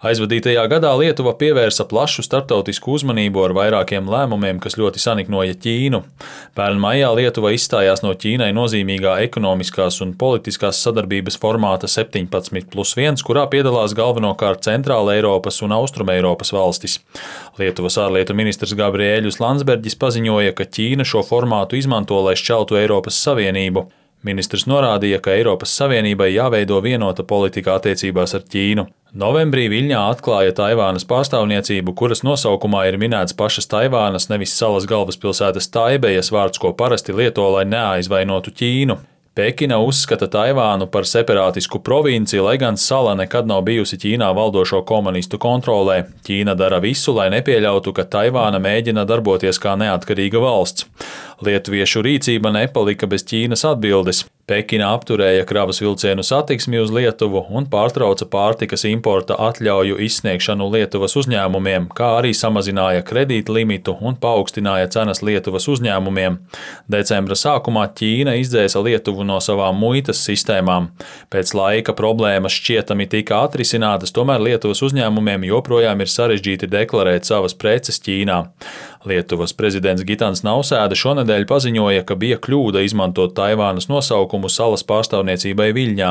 Aizvadītajā gadā Lietuva pievērsa plašu starptautisku uzmanību ar vairākiem lēmumiem, kas ļoti saniknoja Ķīnu. Pērn maijā Lietuva izstājās no Ķīnai nozīmīgā ekonomiskās un politiskās sadarbības formāta 17+1, kurā piedalās galvenokārt Centrāla Eiropas un Austruma Eiropas valstis. Lietuvas ārlietu ministrs Gabriēļus Landsberģis paziņoja, ka Ķīna šo formātu izmanto, lai šķeltu Eiropas Savienību. Ministrs norādīja, ka Eiropas Savienībai jāveido vienota politika attiecībās ar Ķīnu. Novembrī Viļņā atklāja Taivānas pārstāvniecību, kuras nosaukumā ir minēts pašas Taivānas, nevis salas galvaspilsētas Taibejas vārds, ko parasti lieto, lai neaizvainotu Ķīnu. Pekina uzskata Taivānu par separātisku provinci, lai gan sala nekad nav bijusi Ķīnā valdošo komunistu kontrolē. Ķīna dara visu, lai nepieļautu, ka Taivāna mēģina darboties kā neatkarīga valsts. Lietuviešu rīcība nepalika bez Ķīnas atbildes. Pekina apturēja kravas vilcienu satiksmi uz Lietuvu un pārtrauca pārtikas importa atļauju izsniegšanu Lietuvas uzņēmumiem, kā arī samazināja kredīta limitu un paaugstināja cenas Lietuvas uzņēmumiem. Decembra sākumā Ķīna izdzēsa Lietuvu no savām muitas sistēmām. Pēc laika problēmas šķietami tika atrisinātas, tomēr Lietuvas uzņēmumiem joprojām ir sarežģīti deklarēt savas preces Ķīnā. Lietuvas prezidents Gitans Nausēda šonedēļ paziņoja, ka bija kļūda izmantot Taivānas nosaukumu salas pārstāvniecībai Viļņā.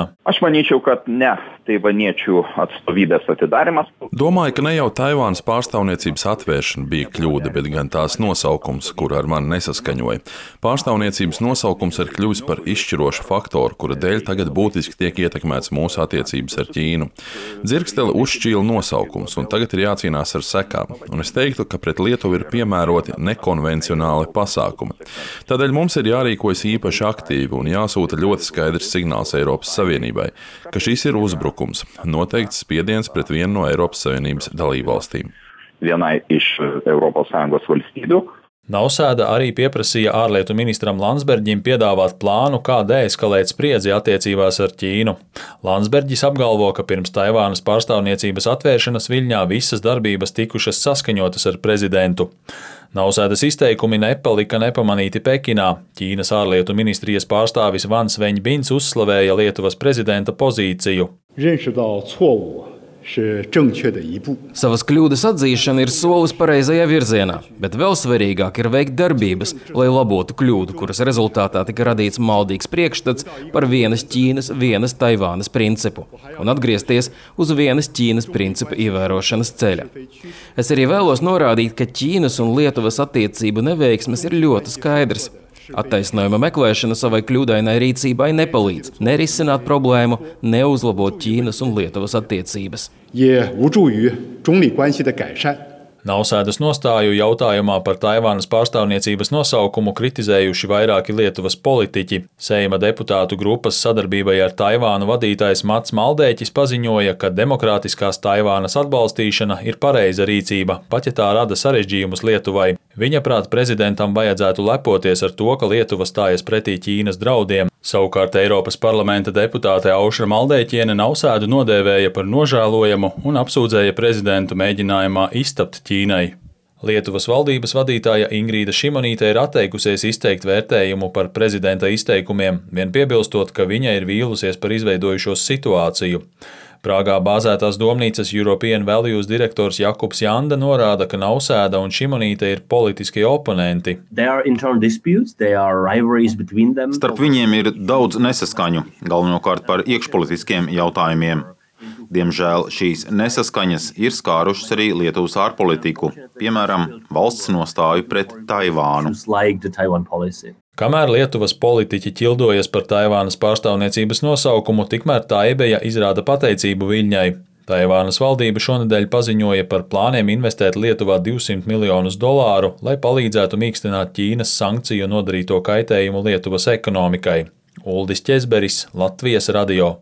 Domāju, ka ne jau Taivānas pārstāvniecības atvēršana bija kļūda, bet gan tās nosaukums, kur ar mani nesaskaņoja. Pārstāvniecības nosaukums ir kļuvis par izšķirošu faktoru, kura dēļ tagad būtiski tiek ietekmēts mūsu attiecības ar Ķīnu. Dzirksteli uzšķīla nosaukums, un tagad ir jācīnās ar sekām. Un es teiktu, ka pret Lietuvu ir piemēroti nekonvencionāli pasākumi. Tādēļ mums ir jārīkojas īpaši aktīvi un jāsūta ļoti skaidrs signāls Eiropas Savienībai, ka šis ir uzbrukums, noteikts spiediens pret vienu no Eiropas Savienības dalībvalstīm. Vienai iš Eiropas Sąjungos valstybių. Nausēda arī pieprasīja ārlietu ministram Landsberģim piedāvāt plānu, kā deeskalēt spriedzi attiecībās ar Ķīnu. Landsberģis apgalvo, ka pirms Taivānas pārstāvniecības atvēršanas Viļņā visas darbības tikušas saskaņotas ar prezidentu. Nausēdas izteikumi nepalika nepamanīti Pekinā. Ķīnas ārlietu ministrijas pārstāvis Vans Veņbins uzslavēja Lietuvas prezidenta pozīciju. Savas kļūdas atzīšana ir solis pareizajā virzienā, bet vēl svarīgāk ir veikt darbības, lai labotu kļūdu, kuras rezultātā tika radīts maldīgs priekšstats par vienas Ķīnas, vienas Taivānas principu un atgriezties uz vienas Ķīnas principa ievērošanas ceļa. Es arī vēlos norādīt, ka Ķīnas un Lietuvas attiecību neveiksmes ir ļoti skaidrs. Attaisnojuma meklēšana savai kļūdainai rīcībai nepalīdz nerisināt problēmu, neuzlabot Ķīnas un Lietuvas attiecības. Nausēdas nostāju jautājumā par Taivānas pārstāvniecības nosaukumu kritizējuši vairāki Lietuvas politiķi. Seima deputātu grupas sadarbībai ar Taivānu vadītājs Mats Maldēķis paziņoja, ka demokrātiskās Taivānas atbalstīšana ir pareiza rīcība, pat ja tā rada sarežģījumus Lietuvai. Viņa prāt prezidentam vajadzētu lepoties ar to, ka Lietuva stājas pretī Ķīnas draudiem. Savukārt Eiropas parlamenta deputāte Aušra Maldēķiene Nausēdu nodēvēja par nožēlojamu un apsūdzēja prezidentu mēģinājumā iztapt Ķīnai. Lietuvas valdības vadītāja Ingrīda Šimonīte ir atteikusies izteikt vērtējumu par prezidenta izteikumiem, vien piebilstot, ka viņa ir vīlusies par izveidojušos situāciju. Prāgā bāzētās domnīcas European Values direktors Jakubs Janda norāda, ka Nausēda un Šimonīte ir politiskie oponenti. Starp viņiem ir daudz nesaskaņu, galvenokārt par iekšpolitiskiem jautājumiem. Diemžēl šīs nesaskaņas ir skārušas arī Lietuvas ārpolitiku, piemēram, valsts nostāju pret Taivānu. Kamēr Lietuvas politiķi ķildojas par Taivānas pārstāvniecības nosaukumu, tikmēr Taibeja izrāda pateicību Viļņai. Taivānas valdība šonedēļ paziņoja par plāniem investēt Lietuvā $200 miljonus, lai palīdzētu mīkstināt Ķīnas sankciju nodarīto kaitējumu Lietuvas ekonomikai. Uldis Ķezberis, Latvijas radio.